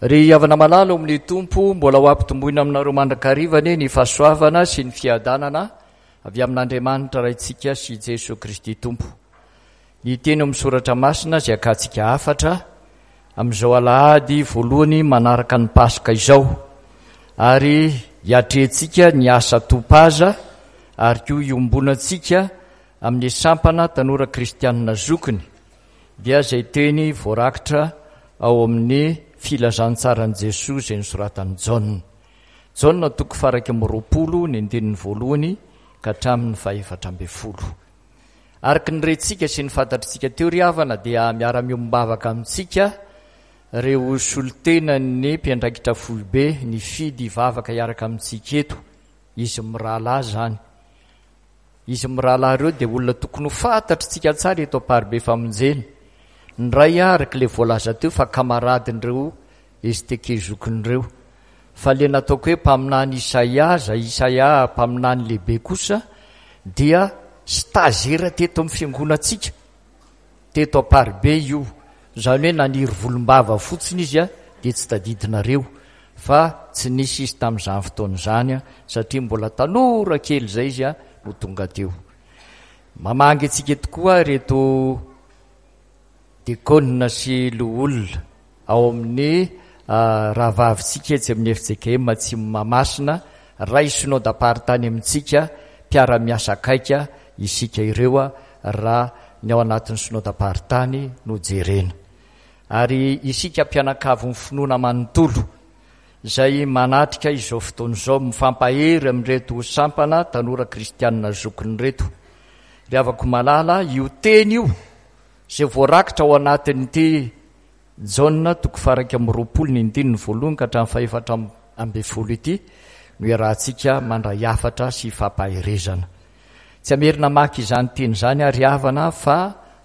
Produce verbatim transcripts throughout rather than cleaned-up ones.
Ry havana malala ao amin'ny Tompo, mbola ho ampitomboina aminareo mandrakariva anie ny fahasoavana sy ny fiadanana avy amin'Andriamanitra Raintsika sy Jesoa Kristy Tompo. Ny teny ao amin'ny Soratra Masina izay akantsika hafatra amin'izao alahady voalohany manaraka ny Paska izao, ary hiatrehantsika ny asa Topaza ary koa hiombonantsika amin'ny sampana tanora kristianina zokiny, dia izay teny voarakitra ao amin'ny Filazantsaran'i Jesoa izay nosoratan'i Jaona. Jaona toko faha-iraika amby roapolo ny andininy voalohany ka hatramin'ny fahefatra ambin'ny folo. Araka ny rentsika sy ny fantatritsika teo ry havana dia miara-miombom-bavaka amintsika ireo solontenan'ny mpiandraikitra foibe nifidy hivavaka hiaraka amintsika eto. Izy mirahalahy izany. Izy mirahalahy ireo dia olona tokony ho fantatritsika tsara eto Amparibe Famonjena. Ny iray araka ilay voalaza teo fa kamaradin'ireo S T K zokin'ireo. Fa ilay nataoko hoe mpaminany Isaia, izay Isaia mpaminany lehibe kosa, dia stagiaire teto amin'ny fiangonantsika, teto Amparibe io. Izany hoe naniry volombava fotsiny izy dia tsy tadidinareo, fa tsy nisy izy tamin'izany fotoana izany satria mbola tanora kely izay izy no tonga teo. Mamangy antsika tokoa ireto diakona sy loholona ao amin'ny rahavavintsika etsy amin'ny F J K M Atsimo Mahamasina, ray synodamparitany amintsika, mpiara-miasa akaika isika ireo raha ny ao anatin'ny synodamparitany no jerena. Ary isika mpianakavin'ny finoana manontolo izay manatrika izao fotoana izao mifampahery amin'ireto sampana tanora kristianina zokiny ireto. Ry havako malala, io teny io izay voarakitra ao anatin'ity Jaona toko faha-iraika amby roapolo ny andininy voalohany ka hatramin'ny fahefatra ambin'ny folo ity no iarahantsika mandray hafatra sy fampaherezana. Tsy hamerina maka izany teny izany ary havana fa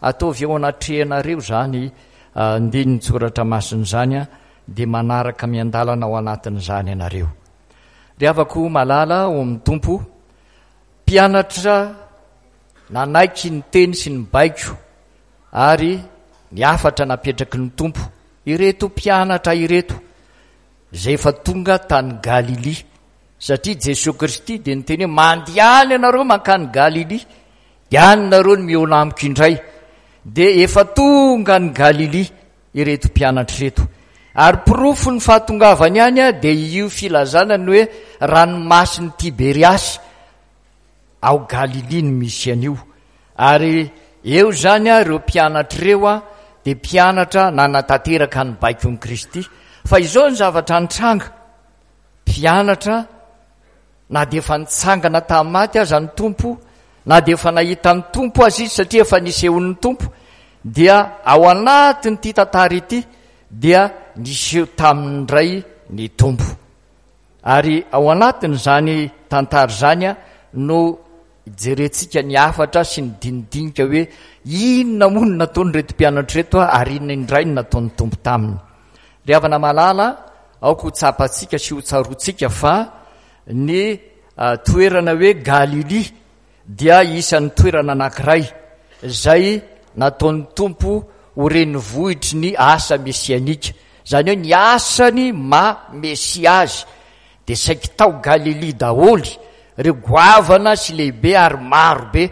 ataovy eo anatrehanareo izany andinin-tsoratra masina izany dia manaraka miandalana ao anatin'izany ianareo. Ry havako malala ao amin'ny Tompo, mpianatra nanaiky ny teny sy ny baiko ary ny hafatra napetraky ny Tompo, ireto mpianatra ireto izay efa tonga tany Galilia, satria Jesoa Kristy dia niteny hoe mandehana ianareo mankany Galilia, dia any nareo no mihaona amiko indray. Dia efa tonga any Galilia ireto mpianatra ireto. Ary porofo ny fahatongavany any dia io filazana ny hoe ranomasin'i Tiberiasy ao Galilia no misy an'io. Ary eo izany ireo mpianatra ireo dia mpianatra nanatanteraka ny baikon'i Kristy. Fa izao ny zavatra nitranga, mpianatra na dia efa nitsangana tamin'ny maty aza ny Tompo, na dia efa nahita ny Tompo aza izy satria efa nisehoan'ny Tompo, dia ao anatin'ity tantara ity dia niseho taminy indray ny Tompo. Ary ao anatin'izany tantara izany no jerentsika ny hafatra sy ny dinidinika hoe inona moa no nataon'ireto mpianatra ireto ary inona indray no nataon'ny Tompo taminy. Ry havana malala, aoka ho tsapantsika sy ho tsaroantsika fa ny toerana hoe Galilia dia isan'ny toerana anankiray izay nataon'ny Tompo ho renivohitry ny asa mesianika. Izany hoe ny asany maha mesia azy dia saiky tao Galilia daholo ireo goavana sy lehibe ary maro be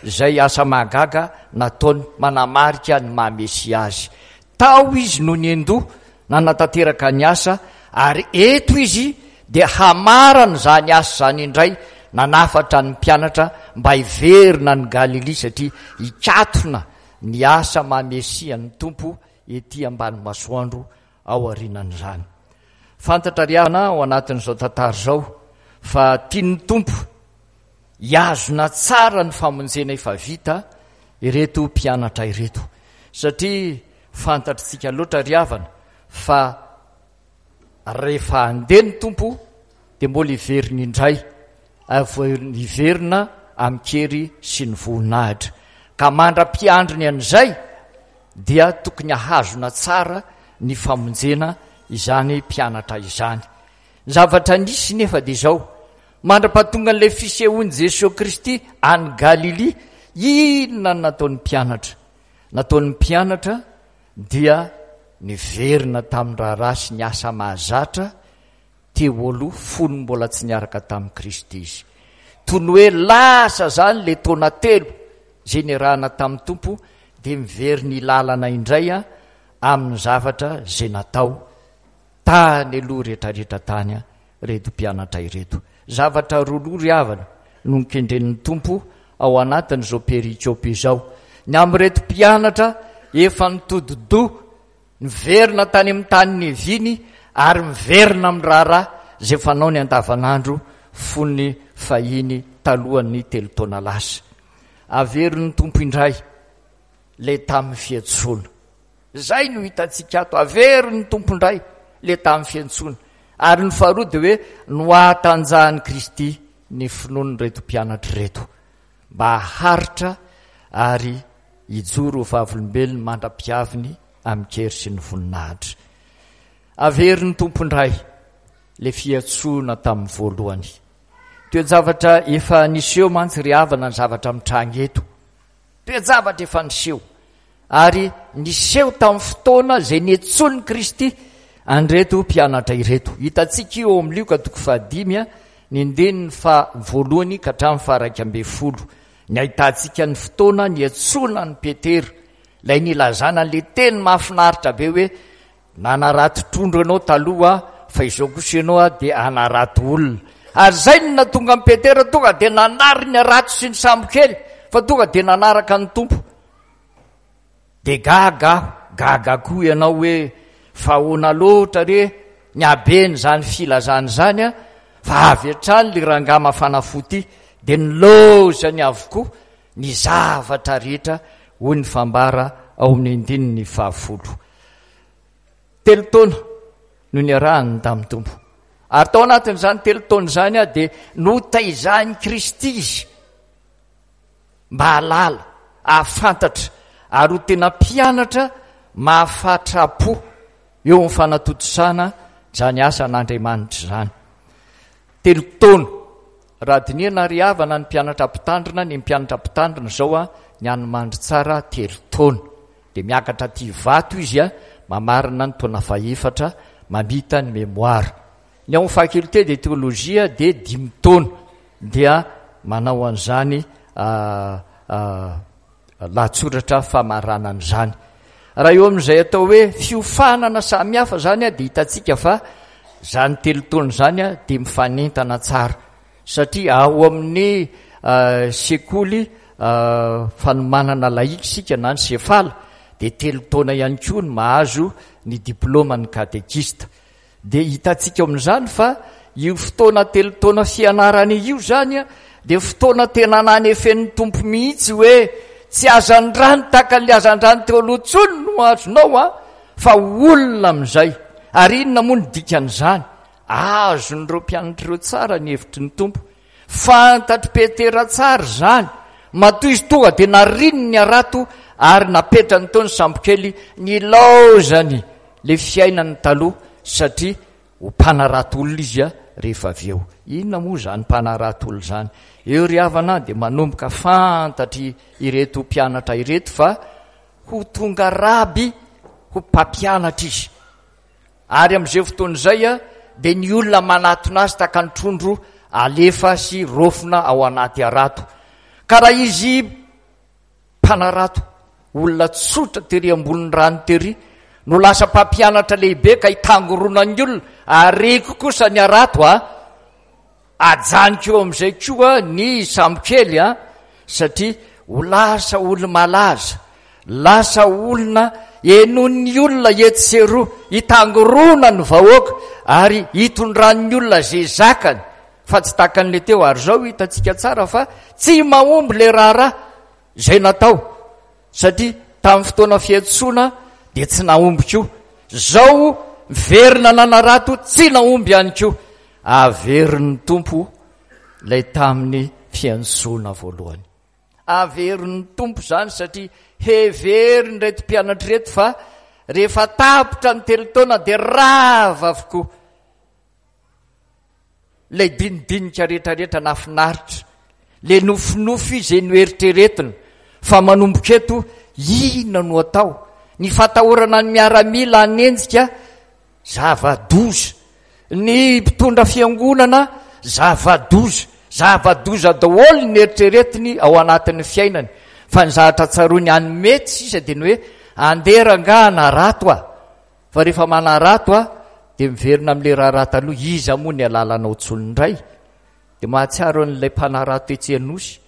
izay asa mahagaga nataony manamarika ny maha mesia azy. Tao izy no niandoha nanatanteraka ny asa, ary eto izy dia hamarana izany asa izany indray nanafatra ny mpianatra mba hiverina any Galilia satria hikatona ny asa maha mesia ny Tompo ety ambany masoandro ao aorianan'izany. Fantatra ry havana ao anatin'izao tantara izao fa tian'ny Tompo hihazona tsara ny famonjena efa vita ireto mpianatra ireto, satria fantatritsika loatra ry havana fa rehefa handeha ny Tompo dia mbola hiverina indray, ary hiverina amin-kery sy ny voninahitra. Ka mandra-piandriny an'izay dia tokony hahazona tsara ny famonjena izany mpianatra izany. Ny zavatra nisy nefa dia izao, mandra-pahatonga an'ilay fisehoan'i Jesoa Kristy any Galilia, inona no nataon'ny mpianatra? Nataon'ny mpianatra dia niverina tamin'ny raharaha sy ny asa mahazatra teo aloha fony mbola tsy niaraka tamin'i Kristy izy. Toy ny hoe lasa izany ilay taona telo izay niarahana tamin'ny Tompo, dia miverina ilalana indray amin'ny zavatra izay natao tany aloha rehetrarehetra tany ireto mpianatra ireto. Zavatra roa loha ry havana no nokendren'ny Tompo ao anatin'izao perikopa izao. Ny amin'ireto mpianatra efa nitodi-doha, niverina tany amin'ny tany niaviany ary miverina amin'ny raharaha izay fanaony andavanandro fony fahiny talohan'ny telo taona lasa. Averin'ny Tompo indray ilay tamin'ny fiantsoana. Izay no hitantsika ato, averin'ny Tompo indray ilay tamin'ny fiantsoana. Ary ny faharoa dia hoe nohatanjahan'i Kristy ny finoan'ireto mpianatra ireto mba haharitra ary hijoro ho vavolombelony mandra-piaviny amin-kery sy ny voninahitra. Averin'ny Tompo indray ilay fiantsoana tamin'ny voalohany. Toe-javatra efa niseho mantsy ry havana ny zavatra mitranga eto. Toe-javatra efa niseho. Ary niseho tamin'ny fotoana izay niantsoan'i Kristy an'ireto mpianatra ireto. Hitantsika io ao amin'ny Lioka toko fahadimy, ny andininy faha voalohany ka hatramin'ny faha iraika ambin'ny folo. Ny ahitantsika ny fotoana niantsoana an'i Petera, ilay nilazana an'ilay teny mahafinaritra be hoe nanarato trondro ianao taloha fa izao kosa ianao dia hanarato olona. Ary izay no nahatonga an'i Petera tonga dia nanary ny harato sy ny sambokely fa tonga dia nanaraka ny Tompo. Dia gaga aho, gaga koa ianao hoe fa ahoana loatra re ny haben'izany filazana izany a, fa avy hatrany ilay rangahy mafana fo ity dia nilaozany avokoa ny zavatra rehetra, hoy ny fambara ao amin'ny andininy fahafolo. Telo taona no niarahany tamin'ny Tompo. Ary tao anatin'izany telo taona izany dia notaizahin'i Kristy izy mba hahalala, hahafantatra ary ho tena mpianatra mahafatra-po eo amin'ny fanatontosana izany asan'Andriamanitra izany. Telo taona. Raha dinihana ry havana ny mpianatra mpitandrina, ny mpianatra mpitandrina izao a, ny an'ny Mandritsara telo taona. Dia miakatra aty Ivato izy a, mamarana ny taona fahefatra, mamita ny mémoire. Ny ao amin'ny faculté de théologie dia dimy taona dia manao an'izany lahatsoratra famaranana izany. Raha eo amin'izay atao hoe fiofanana samihafa izany dia hitantsika fa izany telo taona izany dia mifanentana tsara, satria ao amin'ny sekoly fanomanana laïque isika na ny sefala dia telo taona ihany koa ny mahazo ny diplaoman'ny katekista. Dia hitantsika ao amin'izany fa io fotoana telo taona fianarana io izany dia fotoana tena nanefen'ny Tompo mihitsy hoe tsy hazandrano tahaka ny hazandrano teo aloha intsony no azonao a, fa olona amin'izay. Ary inona moa ny dikan'izany? Azon'ireo mpianatra ireo tsara ny hevitry ny Tompo. Fantatr'i Petera tsara izany. Matoa izy tonga dia nariny ny harato ary napetrany teo ny sambokely nilaozany ilay fiainany taloha, satria ho mpanarato olona izy rehefa avy eo. Inona moa izany mpanarato olona izany? Eo ry havana dia manomboka fantatry ireto mpianatra ireto fa ho tonga raby ho mpampianatra izy. Ary amin'izay fotoana izay dia ny olona manatona azy tahaka ny trondro alefa sy rofina ao anaty harato. Ka raha izy mpanarato, olona tsotra tery ambonin'ny rano tery, no lasa mpampianatra lehibe ka hitangoronan'ny olona, ariko kosa ny harato a, ajaniko eo amin'izay koa ny sambokely a, satria ho lasa olo-malaza, lasa olona henoin'ny olona etsy sy eroa, hitangorona ny vahoaka ary hitondran'ny olona izay zakany, fa tsy tahaka an'ilay teo. Ary izao hitantsika tsara fa tsy mahomby ilay raharaha izay natao, satria tamin'ny fotoana fiantsoana dia tsy nahomby koa. Izao miverina nanarato tsy nahomby ihany koa. Averin'ny Tompo ilay tamin'ny fiantsoana voalohany. Averin'ny Tompo izany satria heverin'ireto mpianatra ireto fa rehefa tapitra ny telo taona dia rava avokoa ilay dinidinika rehetrarehetra nahafinaritra, ilay nofinofy izay noeritreretina fa manomboka eto inona no atao, Ny fatahorana ny miaramila hanenjika, zava-doza. Ny mpitondra fiangonana, zava-doza. Zava-doza daholo ny eritreretiny ao anatin'ny fiainany. Fa ny zavatra tsaroany any mety sisa dia ny hoe andeha rangaha hanarato aho. Fa rehefa manarato aho dia miverina amin'ilay raharaha taloha, iza moa ny alalanao intsony indray? Dia mahatsiaro an'ilay mpanarato etsy Anosy.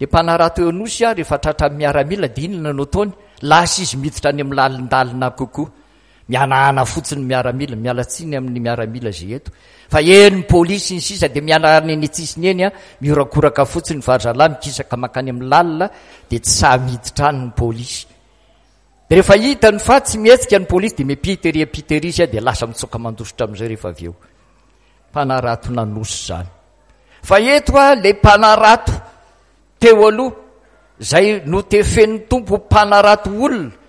Ilay mpanarato eo Anosy aho rehefa tratran'ny miaramila dia inona no ataony? Lasa izy miditra any amin'ny lalindalina kokoa. Mihanahana fotsiny ny miaramila, miala tsiny amin'ny miaramila izay eto. Fa eny ny polisy ny sisa dia mihanahana eny an-tsisiny eny, miorakoraka fotsiny fa ry zalahy mikisaka mankany amin'ny lalina dia tsy sahy miditra any ny polisy. Dia rehefa hitany fa tsy mihetsika ny polisy dia miampita ery ampita ery izy dia lasa mitsoaka mandositra amin'izay rehefa avy eo. Mpanarato nanosy izany. Fa eto a, ilay mpanarato teo aloha izay notefen'ny Tompo mpanarato olona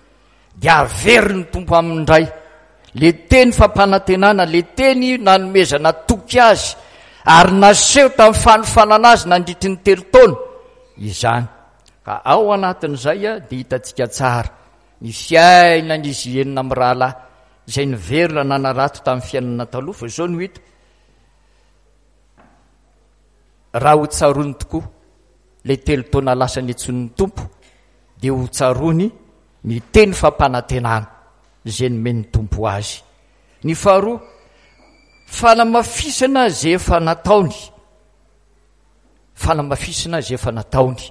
dia averin'ny Tompo aminy indray le teny fampanantenana, le teny nanomezana toky azy ary naseho tamin'ny fanofanana azy nandritry ny telo taona izany. Ka ao anatin'izay dia hitantsika tsara ny fiainan'izy enina mirahalahy izay niverina nanarato tamin'ny fiainana taloha, fa izao no hita. Raha ho tsaroany tokoa ilay telo taona lasa niantsoan'ny Tompo dia ho tsaroany ny teny fampanantenana izay nomen'ny Tompo azy. Ny faharoa, fanamafisana izay efa nataony. Fanamafisana izay efa nataony.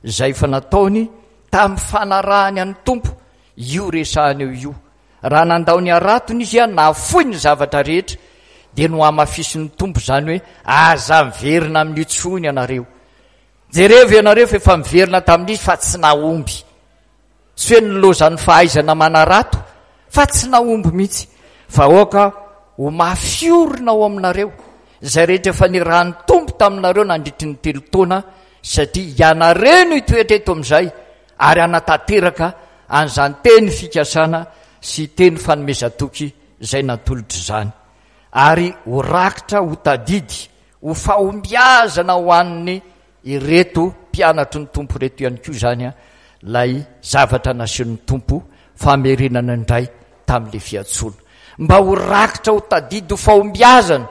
Izay efa nataony tamin'ny fanarahany an'ny Tompo, io resahana eo io. Raha nandao ny haratony izy, nahafoy ny zavatra rehetra, dia nohamafisin'ny Tompo izany hoe aza miverina amin'io intsony ianareo. Jerevo ianareo fa efa miverina tamin'izy fa tsy nahomby. Tsy hoe nilozan'ny fahaizana manarato fa tsy nahomby mihitsy. Fa aoka ho mafy orina ao aminareo izay rehetra efa nirahan'ny Tompo taminareo nandritry ny telo taona, satria ianareo no hitoetra eto amin'izay ary hanatanteraka an'izany teny fikasana sy teny fanomezan-toky izay natolotra izany, ary ho rakitra ho tadidy ho fahombiazana ho an'ny ireto mpianatry ny Tompo ireto ihany koa izany ilay zavatra nasehon'ny Tompo famerenana indray tamin'ilay fiantsoana. Mba ho rakitra ho tadidy ho fahombiazana,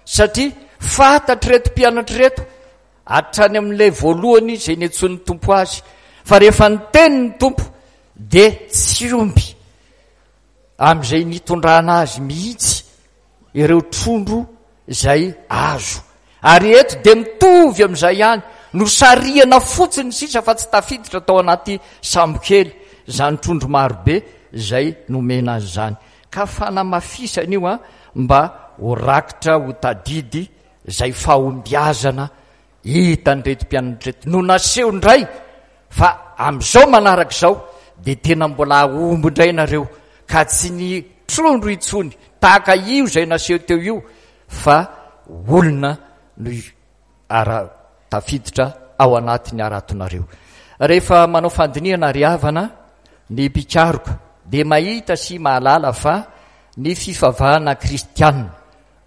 satria fantatr'ireto mpianatra ireto hatrany amin'ilay voalohany izay niantsoan'ny Tompo azy, fa rehefa niteny ny Tompo dia tsy omby amin'izay nitondrana azy mihitsy ireo trondro izay azo. Ary eto dia mitovy amin'izay ihany, nosarihana fotsiny sisa fa tsy tafiditra tao anaty sambokely izany trondro marobe izay nomena azy izany. Ka fanamafisana io a, mba ho rakitra ho tadidy izay fahombiazana hitan'ireto mpianatra ireto. No naseho indray fa amin'izao manaraka izao dia tena mbola hahomby indray nareo, ka tsy ny trondro intsony tahaka io izay naseho teo io, fa olona no ara tafiditra ao anatin'ny haratonareo. Rehefa manao fandinihana ry havana ny mpikaroka dia mahita sy mahalala fa ny fivavahana kristianina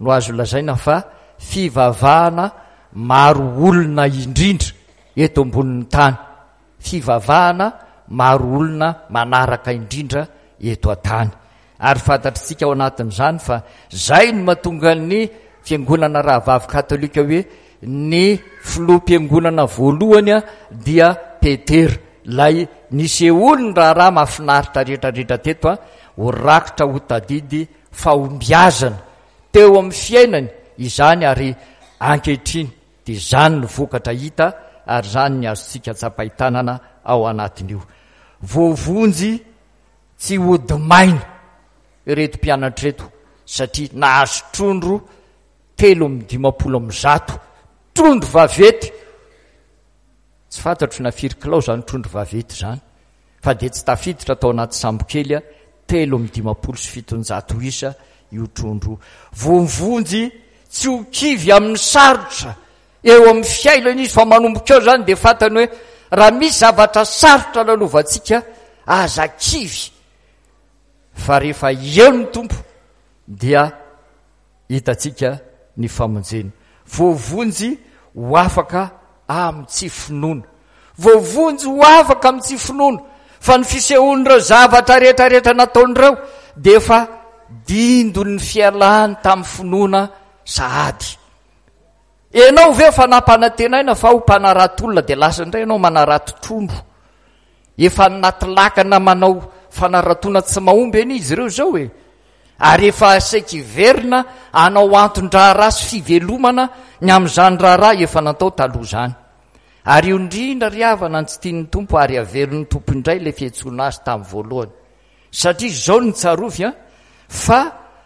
no azo lazaina fa fivavahana maro olona indrindra eto ambonin'ny tany, fivavahana maro olona manaraka indrindra eto an-tany. Ary fantatritsika ao anatin'izany fa zay no mahatonga ny fiangonana rahavavy katolika hoe ny filoham-piangonana voalohany dia Petera, ilay nisehoany ny raharaha mahafinaritra rehetrarehetra teto, ho rakitra ho tadidy fahombiazana teo amin'ny fiainany izany, ary ankehitriny dia izany no vokatra hita ary izany ny azontsika tsapain-tanana ao anatin'io. Voavonjy tsy hody maina ireto mpianatra ireto satria nahazo trondro telo amby dimampolo amby zato, trondro vaventy. Tsy fantatro na firy kilao izany trondro vaventy izany, fa dia tsy tafiditra tao anaty sambokely telo amby dimampolo sy fitonjato isa io trondro. Voavonjy tsy ho kivy amin'ny sarotra eo amin'ny fiainana izy, fa manomboka eo izany dia fantany hoe raha misy zavatra sarotra lalovantsika, aza kivy, fa rehefa eo ny Tompo dia hitantsika ny famonjena. Voavonjy ho afaka amin'ny tsy finoana. Voavonjy ho afaka amin'ny tsy finoana. Fa ny fisehoan'ireo zavatra rehetra rehetra nataon'ireo dia efa dindon'ny fialany tamin'ny finoana sahady. Ianao ve efa nampanantenaina fa ho mpanarato olona dia lasa indray ianao manarato trondro? Efa anaty lakana manao fanaratoana tsy mahomby anie izy ireo izao e. Ary efa saiky hiverina hanao anton-draharaha sy fivelomana ny amin'izany raharaha efa natao taloha izany. Ary io indrindra ry havana no tsy tian'ny Tompo ary averin'ny Tompo indray ilay fiantsoana azy tamin'ny voalohany. Satria izao no tsarovy an, fa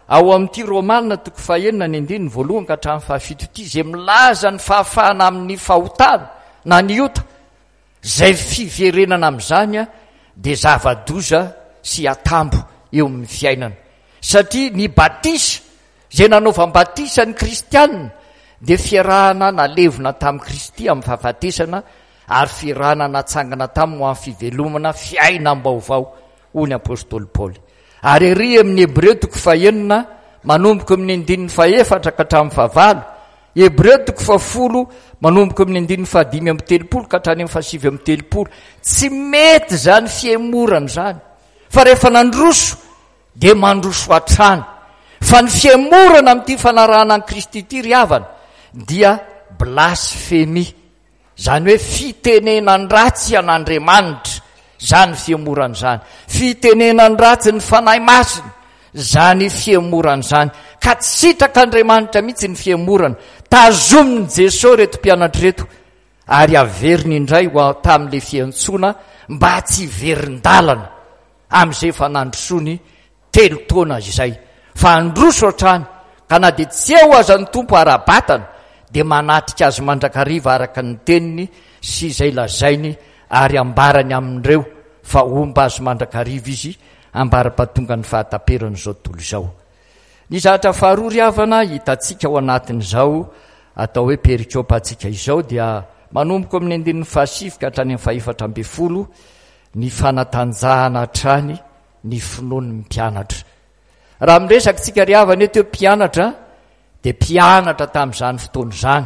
ao amin'ity Romana toko fahenina ny andininy voalohany ka hatramin'ny fahafito ity, izay milaza ny fahafahana amin'ny fahotana na ny ota, izay fiverenana amin'izany dia zava-doza sy atambo eo amin'ny fiainana. Satria ny batisa, izay nanaovam-batisa ny kristianina, dia fiarahana nalevina tamin'i Kristy amin'ny fahafatesana ary fiarahana natsangana taminy ho amin'ny fivelomana fiainam-baovao, hoy ny apostoly Paoly. Ary ery amin'ny Hebreo toko fahenina, manomboka amin'ny andininy fahefatra ka hatramin'ny fahavalo, Hebreo toko fahafolo, manomboka amin'ny andininy fahadimy amby telopolo ka hatrany amin'ny fahasivy amby telopolo. Tsy mety izany fihemorana izany, fa rehefa nandroso dia mandroso hatrany. Fa ny fihemorana amin'ity fanarahana an'i Kristy ity ry havana dia blasfemia, izany hoe fitenenan-dratsy an'Andriamanitra izany fihemorana izany, fitenenan-dratsy ny Fanahy Masina izany fihemorana izany. Ka tsy sitrak'Andriamanitra mihitsy ny fihemorana. Tazomin'i Jesoa ireto mpianatra ireto ary averiny indray ho tamin'ilay fiantsoana mba tsy hiverin-dalana amin'izay efa nandrosoany telo taona izay, fa handroso hatrany, ka na dia tsy eo aza ny Tompo ara-batana, dia manatrika azy mandrakariva araka ny teniny sy izay lazainy ary ambarany amin'ireo fa homba azy mandrakariva izy ambara-pahatonga ny fahataperan'izao tontolo izao. Ny zavatra faharoa ry havana hitantsika ao anatin'izao atao hoe perikopantsika izao dia manomboka amin'ny andininy fahasivy ka hatrany amin'ny fahefatra ambin'ny folo ny fanatanjahana hatrany ny finoan'ny mpianatra. Raha miresaka tsika ry havana eto hoe mpianatra dia mpianatra tamin'izany fotoana izany.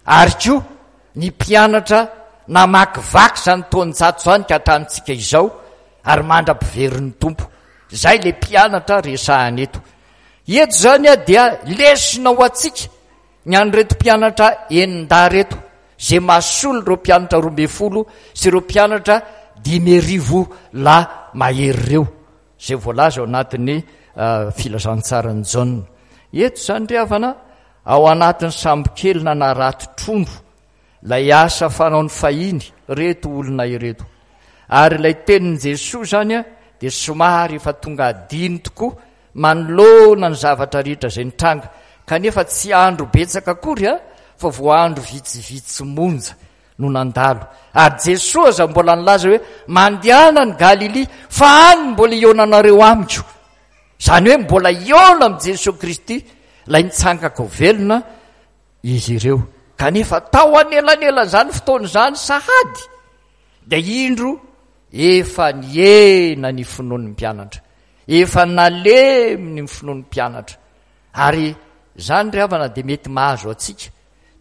Ary koa ny mpianatra namakivaky izany taonjato izany ka hatramintsika izao ary mandra-piverin'ny Tompo. Izay ilay mpianatra resahana eto. Eto izany dia lesona ho antsika ny an'ireto mpianatra enin-dahy ireto, izay mahasolo ireo mpianatra roa ambin'ny folo sy ireo mpianatra dimy arivo lahy mahery ireo, izay voalaza ao anatin'ny filazantsaran'i Jaona. Eto izany ry havana, ao anatin'ny sambokely nanarato trondro, ilay asa fanaony fahiny ireto olona ireto. Ary ilay tenin'i Jesoa izany dia somary efa tonga adino tokoa manoloana ny zavatra rehetra izay nitranga, kanefa tsy andro betsaka akory a, fa vao andro vitsivitsy monja no nandalo. Ary Jesoa aza mbola nilaza hoe, mandehana any Galilia, fa any mbola hihaonanareo amiko. Izany hoe mbola hihaona amin'i Jesoa Kristy, ilay nitsangako velona, izy ireo. Kanefa tao anelanelan'izany fotoana izany sahady, dia indro efa nihena ny finoan'ny mpianatra. Efa nalemy ny finoan'ny mpianatra. Ary izany ry havana dia mety mahazo antsika.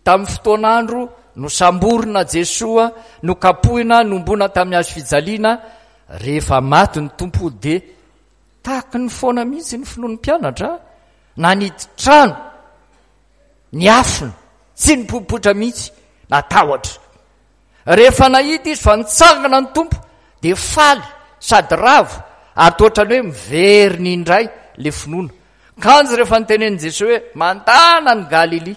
Tamin'ny fotoan'andro nosamborina Jesoa, nokapohina, nombona tamin'ny hazo fijaliana, rehefa maty ny Tompo dia tahaky ny foana mihitsy ny finoan'ny mpianatra, nanidy trano, niafina, tsy nipoipoitra mihitsy, natahotra. Rehefa nahita izy fa nitsangana ny Tompo dia faly sady ravo ary toa ohatran'ny hoe miverina indray ilay finoana. Kanjo rehefa notenenin'i Jesoa hoe mandana any Galilia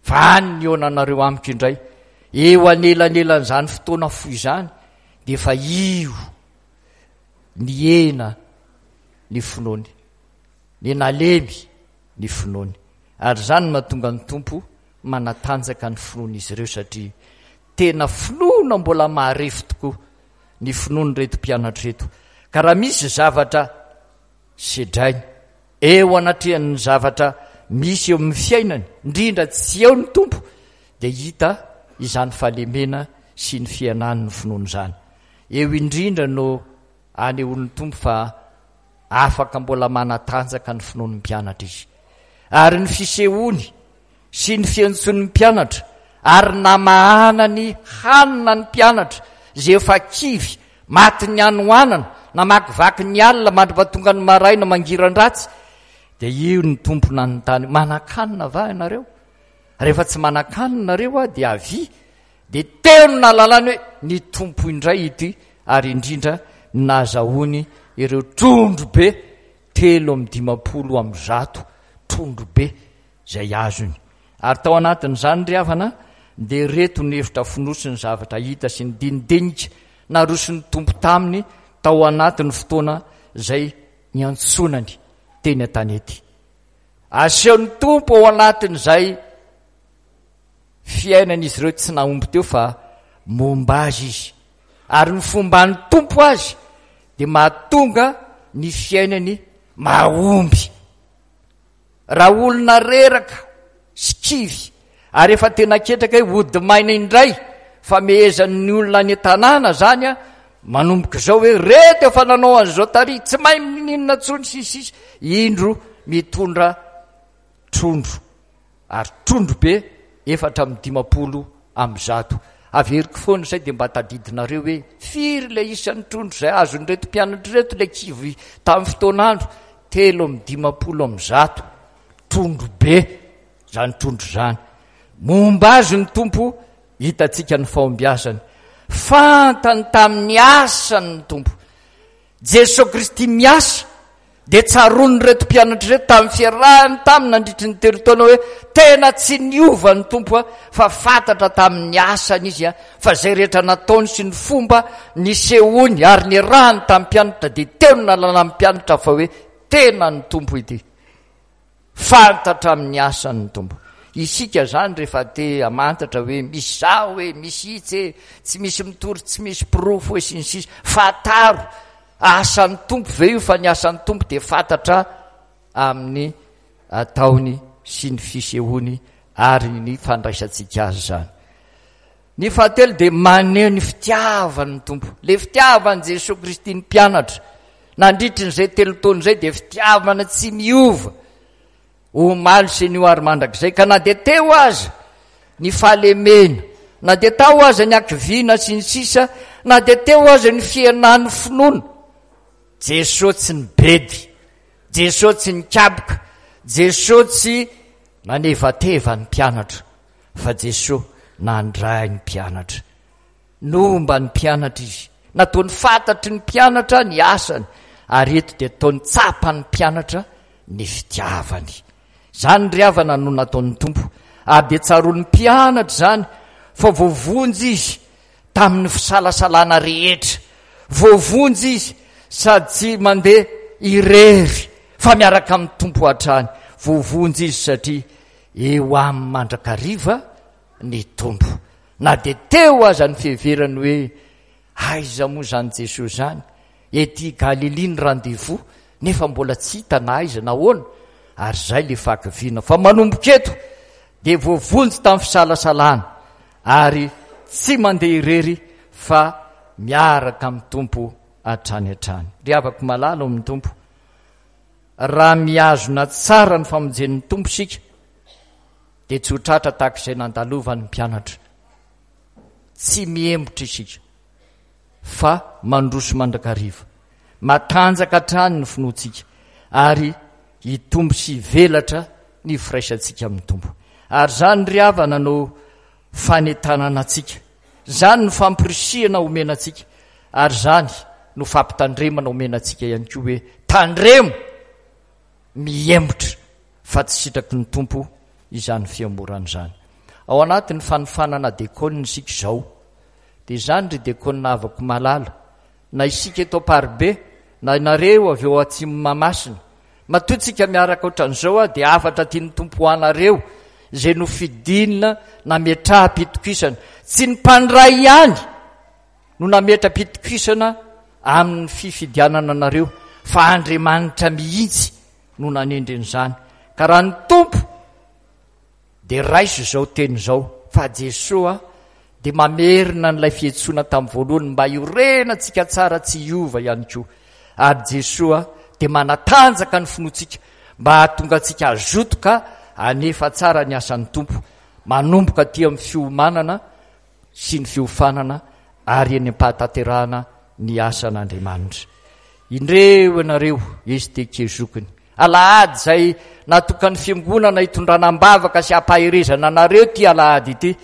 fa any ny hihaonanareo amiko indray, eo anelanelan'izany fotoana fohy izany dia efa io nihena ny finoany, ny nalemy ny finoany. Ary izany no mahatonga ny Tompo manatanjaka ny finoan'izy ireo satria tena finoana mbola marefo tokoa ny finoan'ireto mpianatra ireto. Ka raha misy zavatra sedrainy eo anatrehan'ny zavatra misy eo amin'ny fiainany, indrindra tsy eo ny Tompo, dia hita izany fahalemena sy ny fihenan'ny finoana izany. Eo indrindra no anehoan'ny Tompo fa afaka mbola manatanjaka ny finoan'ny mpianatra izy. Ary ny fisehoany sy ny fiantsoan'ny mpianatra ary namahanany hanina ny mpianatra izay efa kivy Matin'ny hanoanana, namakivaky ny alina mandra-pahatonga ny maraina mangiran-dratsy. Dia io ny Tompo nanontany, manan-kanina va ianareo? Rehefa tsy manan-kanina nareo aho dia avia. Dia teo no nahalalany hoe ny Tompo indray ity, ary indrindra ny nahazahoany ireo trondro be telo amby dimampolo amby zato trondro be izay azony. Ary tao anatin'izany ry havana dia ireto ny hevitra fonosin'ny zavatra hita sy ny dinidinika naroson'ny Tompo taminy tao anatin'ny fotoana izay niantsonany teny an-tanety. Asehon'ny Tompo ao anatin'izay fiainan'izy ireo tsy nahomby teo fa momba azy izy. Ary ny fomban'ny Tompo azy dia mahatonga ny fiainany mahomby. Raha olona reraka sy kivy ary efa tena ketraka hoe hody maina indray famehezan'ny olona any an-tanàna zany a, manomboka izao hoe reto efa nanao an'izao tary, tsy mahay mininona intsony sy sisa, indro mitondra trondro, ary trondro be efatra amby dimampolo amby zato. Averiko foana izay dia mba tadidinareo hoe firy ilay isan'ny trondro izay azon'ireto mpianatra ireto ilay kivy tamin'ny fotoan'andro? Telo amby dimampolo amby zato. Trondro be izany trondro izany. Momba azy ny Tompo, hitantsika ny fahombiazany. Fantany tamin'ny asany ny Tompo. Jesoa Kristy miasa dia tsaroan'ireto mpianatra ireto tamin'ny fiarahany taminy nandritry ny telo taona hoe tena tsy niova ny Tompo fa fantatra tamin'ny asany izy fa izay rehetra nataony sy ny fomba nisehoany ary niarahany tamin'ny mpianatra dia teo no nalalan'ny mpianatra fa hoe tena ny Tompo ity. Fantatra amin'ny asany ny Tompo. Isika izany rehefa te hamantatra hoe misy zaho hoe misy itsy e, tsy misy mitory, tsy misy porofo hoe sy ny sisa. Fantaro asan'ny Tompo ve io, fa ny asan'ny Tompo dia fantatra amin'ny ataony sy ny fisehoany ary ny fandraisantsika azy izany. Ny fahatelo dia maneho ny fitiavan'ny Tompo. Le fitiavan'i Jesoa Kristy ny mpianatra nandritry n'izay telo taona izay dia fitiavana tsy miova omaly sy anio ary mandrakizay. Ka na dia teo aza ny fahalemena, na dia tao aza ny hakiviana sy ny sisa, na dia teo aza ny fihenan'ny finoana, Jesoa tsy nibedy, Jesoa tsy nikaboka, Jesoa tsy nanevateva ny mpianatra, fa Jesoa nandray ny mpianatra. Nomba ny mpianatra izy, nataony fantatry ny mpianatra ny asany, ary eto dia ataony tsapan'ny mpianatra ny fitiavany. Izany ry havana no nataon'ny Tompo, ary dia tsaroan'ny mpianatra izany fa voavonjy izy tamin'ny fisalasalana rehetra. Voavonjy izy sady tsy mandeha irery fa miaraka amin'ny Tompo hatrany. Voavonjy izy satria eo aminy mandrakariva ny Tompo. Na dia teo aza ny fiheverany hoe aiza moa izany Jesoa izany, ety Galilia ny rendez-vous, nefa mbola tsy hita na aiza na ahoana, ary izay ilay fahakiviana. Fa manomboka eto dia voavonjy tamin'ny fisalasalana ary tsy mandeha irery fa miaraka amin'ny Tompo hatrany hatrany. Ry havako malala ao amin'ny Tompo, raha mihazona tsara ny famonjen'ny Tompo isika dia tsy ho tratra tahaka izay nandalovan'ny mpianatra. Tsy mihemotra isika fa mandroso mandrakariva. Matanjaka hatrany ny finoantsika ary hitombo sy hivelatra ny firaisantsika amin'ny Tompo. Ary izany ry havana no fanentanana antsika, izany no fampirisihana omena antsika, ary izany no fampitandremana omena antsika ihany koa hoe tandremo mihemotra fa tsy sitraky ny Tompo izany fihemorana izany. Ao anatin'ny fanofanana dekônina isika izao, dia izany ry dekônina havako malala, na isika eto Amparibe, na ianareo avy eo atsimo Mahamasina, matoa tsika miaraka ohatran'izao aho dia hafatra tian'ny Tompo ho anareo izay nofidina nametraham-pitokisana. Tsy ny mpandray ihany no nametra-pitokisana amin'ny fifidianana anareo fa Andriamanitra mihitsy no nanendry an'izany. Ka raha ny Tompo dia raiso izao teny izao fa Jesoa dia mamerina an'ilay fiantsoana tamin'ny voalohany mba hiorenantsika tsara tsy hiova ihany koa. Ary Jesoa dia manatanjaka ny finoantsika mba hahatonga antsika hazoto ka hanefa tsara ny asan'ny Tompo manomboka aty amin'ny fiomanana sy ny fiofanana ary eny am-pahatanterahana ny asan'Andriamanitra. Indreo ianareo S T K zokiny. Alahady izay natokan'ny fiangonana hitondrana am-bavaka sy ampaherezana anareo ty alahady ity.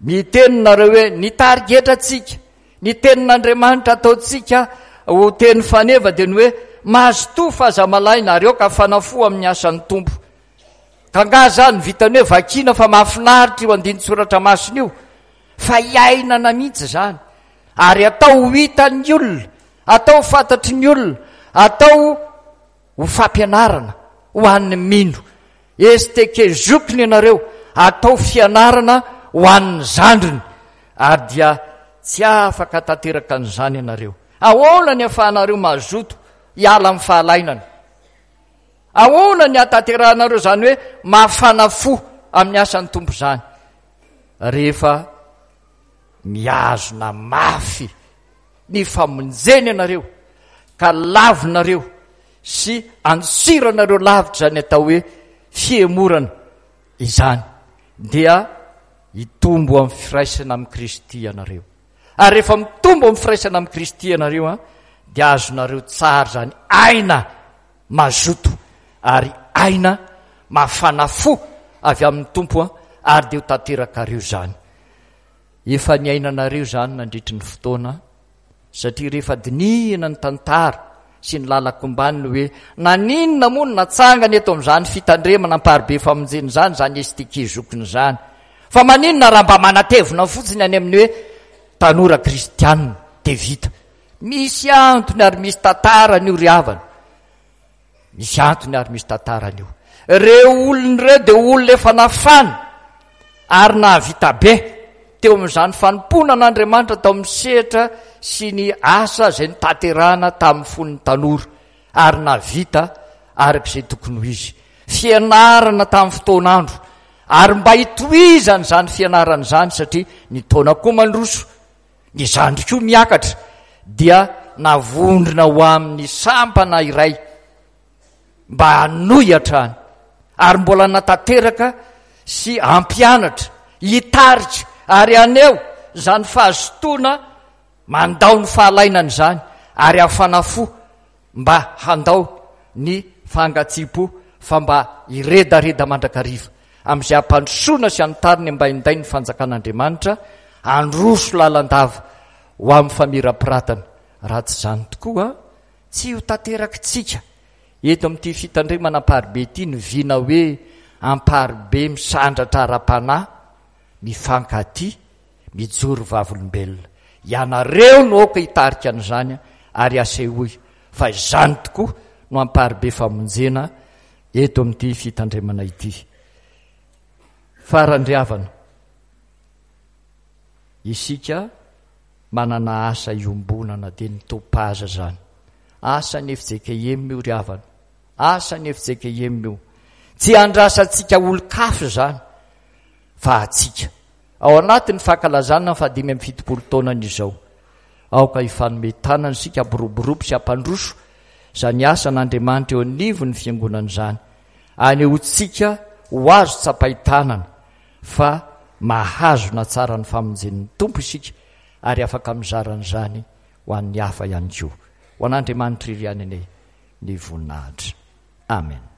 Miteny nareo hoe ny tarigetrantsika, ny tenin'Andriamanitra ataontsika ho teny faneva dia ny hoe mazotoa fa aza malaina ary aoka hafana fo amin'ny asan'ny Tompo. Ka nga zany vitany hoe vakina fa mahafinaritra io andinin-tsoratra masina io, fa iainana mihitsy zany ary atao ho hitan'ny olona, atao fantatry ny olona, atao ho fampianarana ho an'ny mino. S T K zokiny ianareo, atao fianarana ho an'ny zandriny ary dia tsy afaka tanteraka an'izany ianareo. Ahoana ny ahafahanareo mazoto hiala amin'ny fahalainana? Ahoana ny ahatanterahanareo zany hoe mafana fo amin'ny asan'ny Tompo zany? Rehefa mihazona mafy ny famonjena ianareo ka lavinareo sy antsiranareo lavitra zany atao hoe fihemorana izany, dia hitombo amin'ny firaisana amin'i Kristy ianareo. Ary rehefa mitombo amin'ny firaisana amin'i Kristy ianareo a dia azonareo tsara zany aina mazoto ary aina mafana fo avy amin'ny Tompo a ary dia ho tanterakareo zany. Efa niainanareo zany nandritry ny fotoana, satria rehefa dinihina ny tantara sy ny lalako-mbaniny hoe naninona moa no natsangana eto amin'izany fitandremana Amparibe Famonjena zany zany S T K zokiny zany, fa maninona raha mba manatevina fotsiny any amin'ny hoe tanora kristianina de vita? Misy antony ary misy tantarany io, ry havana. Misy antony ary misy tantarany io. Reo olona ireo de olona efa nafana ary nahavita be teo amin'izany fanompoana an'Andriamanitra tao amin'ny sehatra sy ny asa izay notanterahana tamin'ny fon'ny tanora ary navita arak'izay tokony ho izy fianarana tamin'ny fotoan'andro, ary mba hitohizany zany fianarana izany, satria ny taona koa mandroso, ny zandry koa miakatra, dia navondrona ho amin'ny sampana iray mba hanohy hatrany ary mbola natanteraka sy ampianatra, hitarika ary aneo zany fahazotoana mandao ny fahalainana izany ary hafana fo mba handao ny fangatsiam-po fa mba iredareda mandrakariva amin'izay ampandrosoana sy anotariny mba hinday ny fanjakan'Andriamanitra androso lalandava ho amin'ny famirapiratana. Raha tsy izany tokoa, tsy ho tanterakitsika eto amin'ity fitandremana Amparibe ity ny vina hoe Amparibe misandratra ara-panahy, mifankaty, mijoro vavolombelona. Ianareo no aoka hitarika an'izany ary asehoy fa izany tokoa no Amparibe Famonjena eto amin'ity fitandremana ity. Farany, ry havana, isika manana asa iombonana dia ny Topaza zany. Asa ny F J K M io, ry havana. Asa ny F J K M io. Tsy andrasantsika olo-kafa zany fa atsika. Ao anatin'ny fankalazana fahadimy amin'ny fitopolo taonany izao, aoka hifanome tanana isika hampiroborobo sy hampandroso zany asan'Andriamanitra eo anivon'ny fiangonana izany. Anehoantsika ho azo tsapain-tanana fa mahazona tsara ny famonjen'ny Tompo isika ary afaka mizaran'izany ho an'ny hafa ihany koa. Ho an'Andriamanitra iry ihany anie ny voninahitra. Amen.